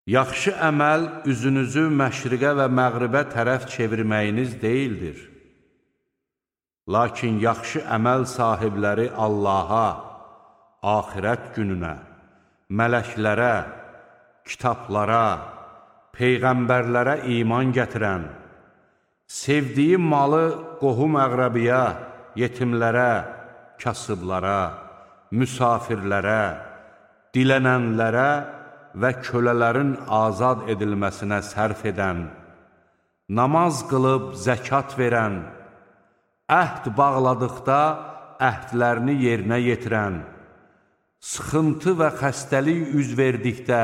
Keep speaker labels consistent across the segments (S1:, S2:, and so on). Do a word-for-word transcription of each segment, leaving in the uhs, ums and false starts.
S1: Yaxşı əməl üzünüzü məşriqə və məğribə tərəf çevirməyiniz deyildir. Lakin yaxşı əməl sahibləri Allaha, axirət gününə, mələklərə, kitablara, peyğəmbərlərə iman gətirən, sevdiyi malı qohum-əqrəbiyə, yetimlərə, kasıblara, müsafirlərə, dilənənlərə və kölələrin azad edilməsinə sərf edən, namaz qılıb zəkat verən, əhd bağladıqda əhdlərini yerinə yetirən, sıxıntı və xəstəlik üz verdikdə,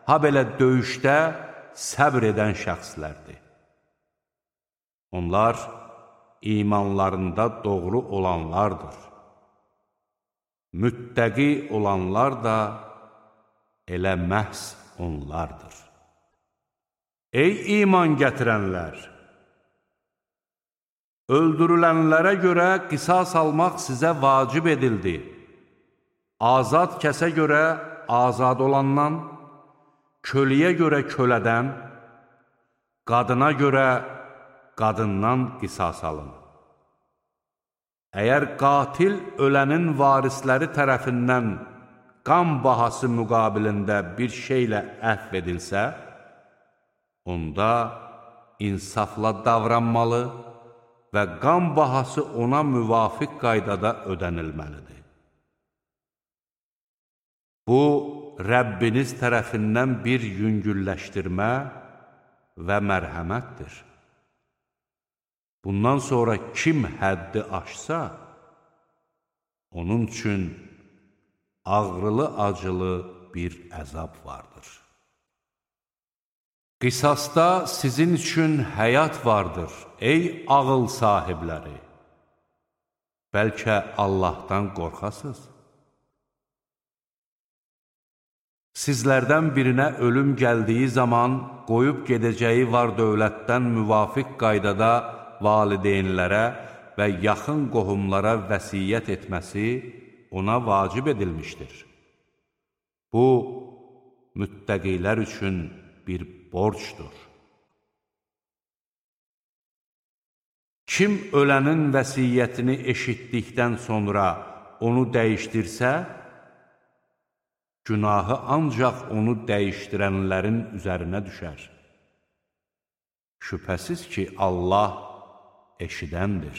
S1: ha belə döyüşdə səbr edən şəxslərdir. Onlar imanlarında doğru olanlardır. Müttəqi olanlar da elə məhz onlardır. Ey iman gətirənlər! Öldürülənlərə görə qisas almaq sizə vacib edildi. Azad kəsə görə azad olandan, köləyə görə kölədən, qadına görə qadından qisas alın. Əgər qatil ölənin varisləri tərəfindən qan bahası müqabilində bir şeylə əhv edilsə, onda insafla davranmalı və qan bahası ona müvafiq qaydada ödənilməlidir. Bu, Rəbbiniz tərəfindən bir yüngülləşdirmə və mərhəmətdir. Bundan sonra kim həddi aşsa, onun üçün ağrılı-acılı bir əzab vardır. Qisasda sizin üçün həyat vardır, ey ağıl sahibləri. Bəlkə Allahdan qorxasınız. Sizlərdən birinə ölüm gəldiyi zaman qoyub gedəcəyi var dövlətdən müvafiq qaydada valideynlərə və yaxın qohumlara vəsiyyət etməsi ona vacib edilmişdir. Bu, müttəqilər üçün bir borcdur. Kim ölənin vəsiyyətini eşitdikdən sonra onu dəyişdirsə, günahı ancaq onu dəyişdirənlərin üzərinə düşər. Şübhəsiz ki, Allah eşidəndir,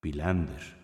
S1: biləndir.